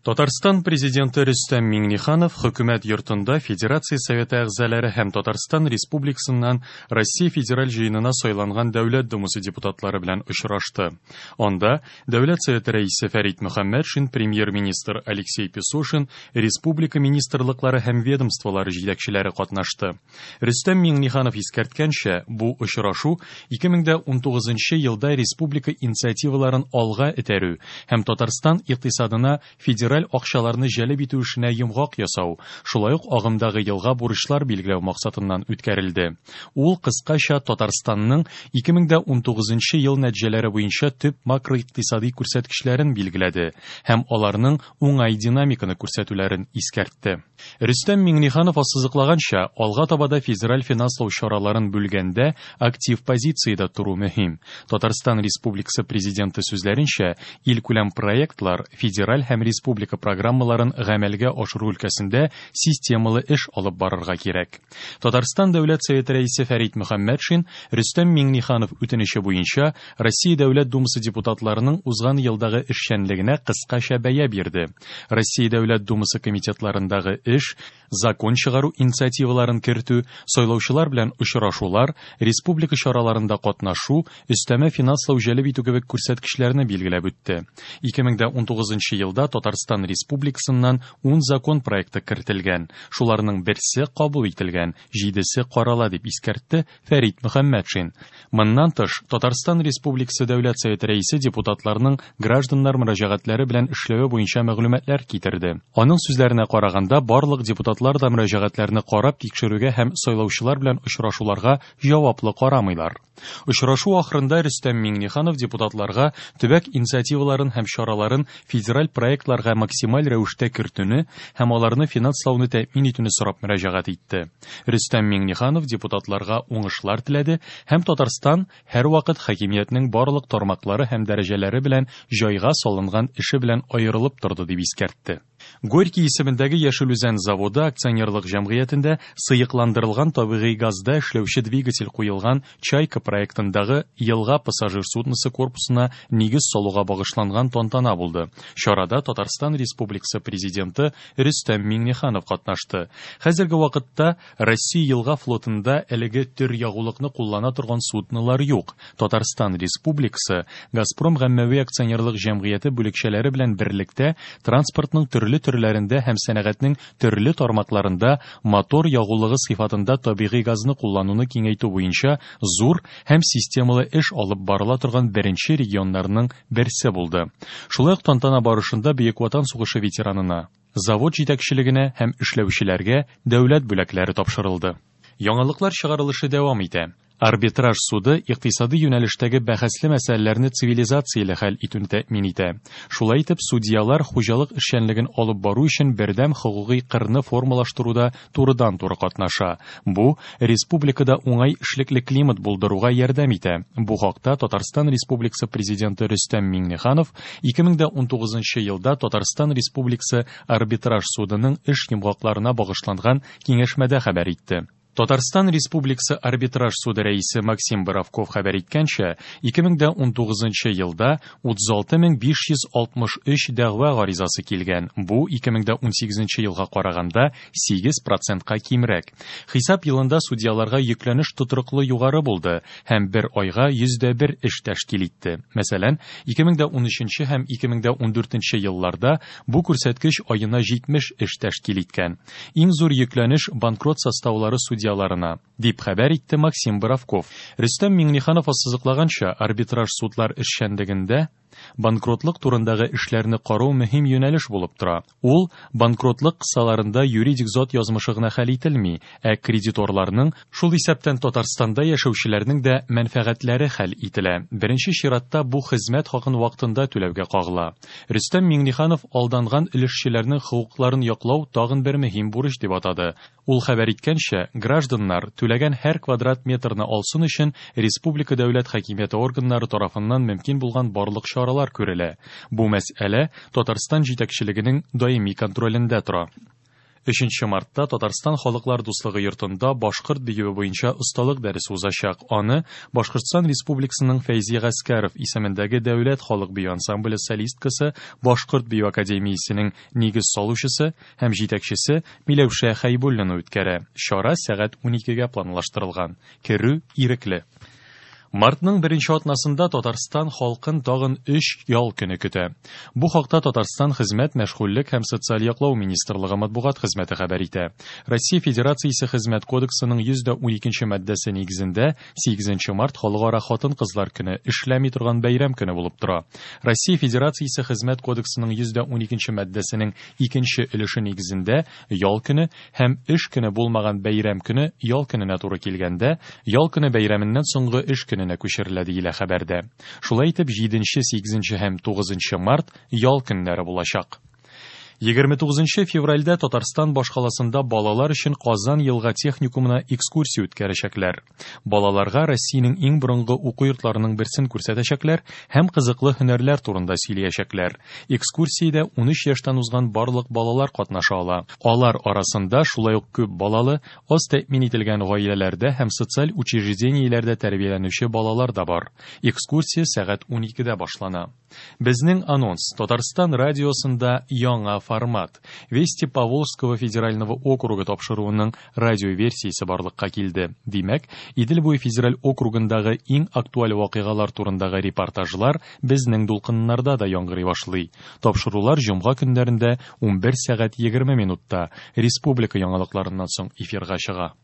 Татарстан Президенты Рөстәм Миңнеханов Хөкүмәт йортында Федерация Советы әгъзалары һәм Татарстан Республикасыннан Россия Федераль Җыенына сайланган Дәүләт Думасы депутатлары белән очрашты. Анда Дәүләт Советы Рәисе Фәрит Мөхәммәтшин, Премьер-министр Алексей Песошин, республика министрлыклары һәм ведомстволары җитәкчеләре катнашты. Рөстәм Миңнеханов искәрткәнчә, бу очрашу 2019 елда республика инициативаларын алга этәрү һәм Татарстан икътисадына федераль акчаларны җәлеп итү эшенә йомгак ясау, шулай ук агымдагы елга бурычлар билгеләү максатыннан үткәрелде. Ул кыскача Татарстанның 2019 ел нәтиҗәләре буенча төп макроикътисади күрсәткечләрен билгеләде һәм аларның уңай динамиканы күрсәтүләрен искәртте. Рөстәм Миңнеханов ассызыклаганча, алга таба да федераль финанслау чараларын бүлгәндә актив позициядә тору мөһим. Татарстан Республикасы Президенты сүзләренчә, илкүләм проектлар, федераль һәм республика программаларын гамәлгә ашыру өлкәсендә системалы эш алып барырга кирәк. Татарстан Дәүләт Советы Рәисе Фәрит Мөхәммәтшин Рөстәм Миңнеханов үтенече буенча Россия Дәүләт Думасы депутатларының узган елдагы эшчәнлегенә кыскача бәя бирде. Россия Дәүләт Думасы комитетларындагы эш, закон чыгару инициативаларын кертү, сайлаучылар белән очрашулар, республика чараларында катнашу, өстәмә финанслау җәлеп итү кебек күрсәткечләрне билгеләп үтте. 2019 елда Татарстан Республикасыннан 10 закон проекты кертелгән, шуларның берсе кабул ителгән, җидесе карала, дип искәртте Фәрит Мөхәммәтшин. Моннан тыш, Татарстан Республикасы Дәүләт Советы Рәисе депутатларның гражданнар мөрәҗәгатьләре белән эшләве буенча мәгълүматлар китерде. Аның сүзләренә караганда, барлык депутатлар да мөрәҗәгатьләрне карап тикшерүгә һәм сайлаучылар белән очрашуларга җаваплы карамыйлар. Очрашу ахырында Рөстәм Миңнеханов депутатларга төбәк инициативаларын һәм чараларын федераль проектларга максималь рәвештә кертүне һәм аларны финанслауны тәэмин итүне сорап мөрәҗәгать итте. Рөстәм Миңнеханов депутатларга уңышлар теләде һәм Татарстан һәрвакыт хакимиятнең барлык тармаклары һәм дәрәҗәләре белән җайга салынган эше белән аерылып торды дип искәртте. Горький исемендәге Яшел Үзән заводы акционерлык җәмгыятендә сыекландырылган табигый газда эшләүче двигатель куелган Чайка проектындагы елга пассажир судносы корпусына нигез салуга багышланган тантана булды. Чарада Татарстан Республикасы Президенты Рөстәм Миңнеханов катнашты. Хәзерге вакытта Россия елга флотында әлеге төр ягулыкны куллана торган суднолар юк. Татарстан Республикасы Газпром гаммәви акционерлык җәмгыяте бүлекчәләре белән берлектә транспортның төрле төрләрендә һәм сәнәгатьнең төрле тармакларында мотор ягулыгы сыйфатында табигый газны куллануны киңәйтү буенча зур һәм системалы эш алып барыла торган беренче регионнарның берсе булды. Шулай ук тантана барышында Бөек Ватан сугышы ветеранына, завод җитәкчелегенә һәм эшләүчеләргә дәүләт бүләкләре тапшырылды. Яңалыклар чыгарылышы дәвам итә. Арбитраж суды икътисади юнәлештәге бәхәсле мәсьәләләрне цивилизацияле хәл итүне тәэмин итә. Шулай итеп, судьялар хуҗалык эшчәнлеген алып бару өчен бердәм хокукый кырны формалаштыруда турыдан-туры катнаша. Бу республикада уңай эшлекле климат булдыруга ярдәм итә. Бу хакта Татарстан Республикасы Президенты Рөстәм Миңнеханов 2019 елда Татарстан Республикасы Арбитраж судының эш йомгакларына багышланган киңәшмәдә хәбәр итте. Татарстан Республикасы Арбитраж суды рәисе Максим Боровков хәбәр иткәнчә, 2019 елда 36563 дәгъва гаризасы килгән. Бу 2018 елга караганда 8 процентка кимрәк. Хисап елында судьяларга йөкләнеш тотрыклы югары булды һәм бер айга 101 эш тәшкил итте. Мәсәлән, 2013 һәм 2014 елларда бу күрсәткеч аена 70 эш тәшкил иткән. Иң зур йөкләнеш банкрот составлары судьяларына, дип хәбәр итте Максим Боровков. Рөстәм Миңнеханов ассызыклаганча, арбитраж судлар эшчәнлегендә банкротлык турындагы эшләрне карау мөһим юнәлеш булып тора. Ул банкротлык кысаларында юридик зат язмышы гына хәл ителми, ә кредиторларның, шул исәптән Татарстанда яшәүчеләрнең дә мәнфәгатьләре хәл ителә. Беренче чиратта бу хезмәт хакын вакытында түләүгә кагыла. Рөстәм Миңнеханов алданган өлешчеләрнең хокукларын яклау тагын бер мөһим бурыч дип атады. Ул хәбәр иткәнчә, гражданнар түләгән һәр квадрат метрны алсын өчен республика дәүләт хакимияте органнары тарафыннан мөмкин булган барлык чаралар күрелә. Бу мәсьәлә Татарстан җитәкчелегенең даими контролендә тора. 3 мартта Татарстан Халыклар дуслыгы йортында башкорт биюе буенча осталык дәресе узачак. Аны Башкортстан Республикасының Фәйзи Гаскәров исемендәге дәүләт халык бию ансамбле солисткасы, Башкорт бию академиясенең нигез салучысы һәм җитәкчесе Миләүшә Хәйбуллина үткәрә. Чара сәгать 12-гә планлаштырылган. Керү ирекле. Мартның беренче атнасында Татарстан халкын тагын өч ял көне көтә. Бу хакта Татарстан Хезмәт, мәшгульлек һәм социаль яклау министрлыгы матбугат хезмәте хәбәр итә. Россия Федерациясе Хезмәт кодексының 112 маддәсе нигезендә 8 март Халыкара хатын-кызлар көне эшләми торган бәйрәм көне булып тора. Россия Федерациясе Хезмәт кодексының 112 маддәсенең икенче өлеше нигезендә ял көне һәм эш көне булмаган бәйрәм көне ял көненә туры килгәндә, ял көне бәйрәменнән соңгы эш көненә күчерелә диелә хәбәрдә. Шулай итеп, 7, 8 һәм 9 март ял көннәре булачак. 29 февральдә Татарстан башкаласында балалар өчен Казан елга техникумына экскурсия үткәрәчәкләр. Балаларга Россиянең иң борынгы уку йортларының берсен күрсәтәчәкләр һәм кызыклы һөнәрләр турында сөйләячәкләр. Экскурсиядә 13 яшьтән узган барлык балалар катнаша ала. Алар арасында шулай ук күп балалы, аз тәэмин ителгән гаиләләрдә һәм социаль учреждениеләрдә тәрбияләнүче балалар да бар. Экскурсия сәгать 12-дә башлана. Безнең анонс. Татарстан радиосында яңа формат. Вести Поволжского федерального округа тапшыруының радиоверсиясе барлыкка килде. Димәк, Идел буе федераль округындагы иң актуаль вакыйгалар турындагы репортажлар безнең дулкыннарда да яңгырый башлый. Тапшырулар җомга көннәрендә 11 сәгать 20 минутта республика яңалыкларыннан соң эфирга чыга.